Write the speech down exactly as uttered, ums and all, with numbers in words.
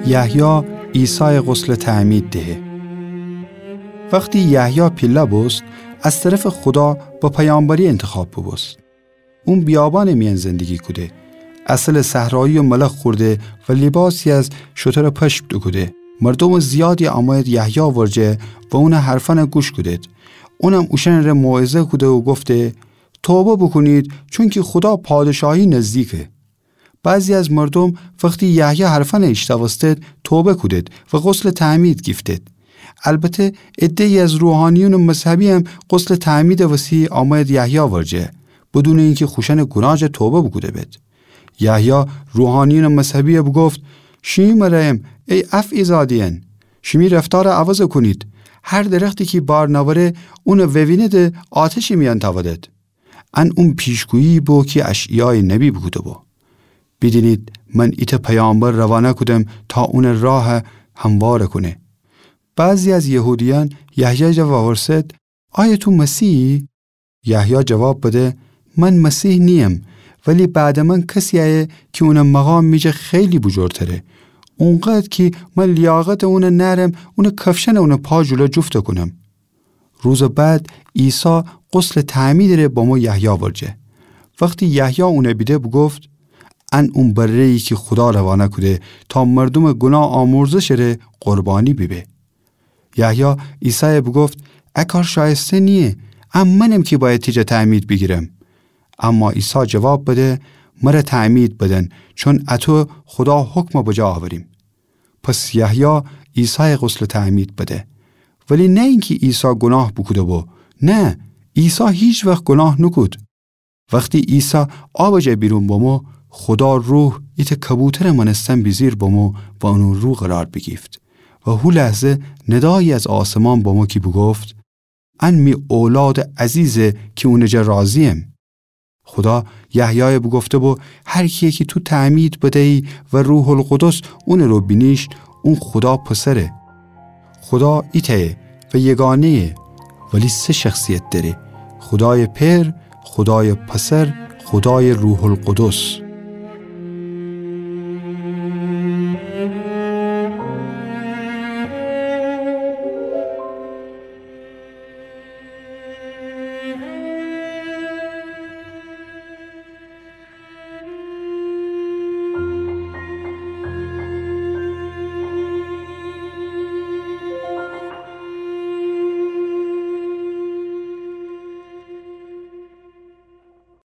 یحیی عیسایَ غسلٚ تعمید دهه. وختی یحیی پیله بوست، از طرفٚ خودا به پیامبری انتخاب بوبوست. اون بیابانٚ میأن زندگی کوده، عسلٚ صحرایی و ملخ خورده و لیباسی از شترٚ پشم دوکوده. مردومٚ زیادی آمویید یحیی ورجه و اونٚ حرفأنَ گوش کودید. اونم اوشأنٚره موعظه کوده و گفته: توبه بوکونید، چونکی خودا پادشاهی نزدیکه. بعضی از مردوم وختی یحیی حرفأنَ ایشتأوستید، توبه کودید و غسلٚ تعمید گیفتید. البته عده‌ای از روحانیونٚ مذهبی‌یم غسلٚ تعمیدٚ وسی آمویید یحیی ورجه، بدونٚ اینکی خوشأنٚ گوناه جا توبه بوکوده بید. یحیی روحانیونٚ مذهبیَ بوگفت: شیمی مره‌یم، ای افعی‌زاده‌یأن، شیمی رفتارَ عوض کونید. هر درختی کی بار نأوره، اونَ ووینیدٚ آتشٚ میأن تأودید. ان اون پیشگویی بو کی اشعیایٚ نبی بوکوده‌بو: بیدینید، من ایتأ پیامبر روانه کودم تا اونٚ راهَ هموارَ کونه. بعضی از یهودیأن یحیی جا وورسد: آیا تو مسیحی؟ یحیی جواب بده: من مسیح نییم، ولی بعدٚ من کسی ایه کی اونٚ مقام می جا خیلی بوجورتره. اونقدر کی من لیاقتٚ اونَ نأرم اونٚ کفشأنَ اونٚ پا جلو جفت کونم. روزٚ بعد عیسی غسلٚ تعمیدٚ ره بمو یحیی ورجه. وختی یحیی اونَ بیده بوگفت: ان اون بره‌یی کی خودا روانه کوده تا مردومٚ گوناه آمرزشٚ ره قربانی بیبه. یحیی عیسایَ بوگفت: ا کار شایسته نییه، ا منم کی بأید تی جا تعمید بیگیرم. اما عیسی جواب بده: مرَ تعمید بدن، چون اطو خودا حکمَ بجا آوریم. پس یحیی عیسایَ غسلٚ تعمید بده. ولی نه اینکی عیسی گوناه بوکوده‌بو، نه، عیسی هیچ وخت گوناه نوکود. وختی عیسی آبٚ جا بیرون بمو، خودا روح ایتأ کبوترٚ مأنستن بیجیر بمو و اونٚ رو قرار بیگیفت. و هو لحظه ندایی از آسمان بمو کی بوگفت: ان می اولادٚ عزیزه کی اونٚ جا راضییم. خودا یحیایَ بوگفته‌بو: هر کیی کی تو تعمید بدیی و روح‌القدس اونٚ رو بینیشت، اون خودا پسره. خودا ایتأیه و یگانه‌یه، ولی سه شخصیت دأره: خودایٚ پئر، خودایٚ پسر، خودایٚ روح‌القدس.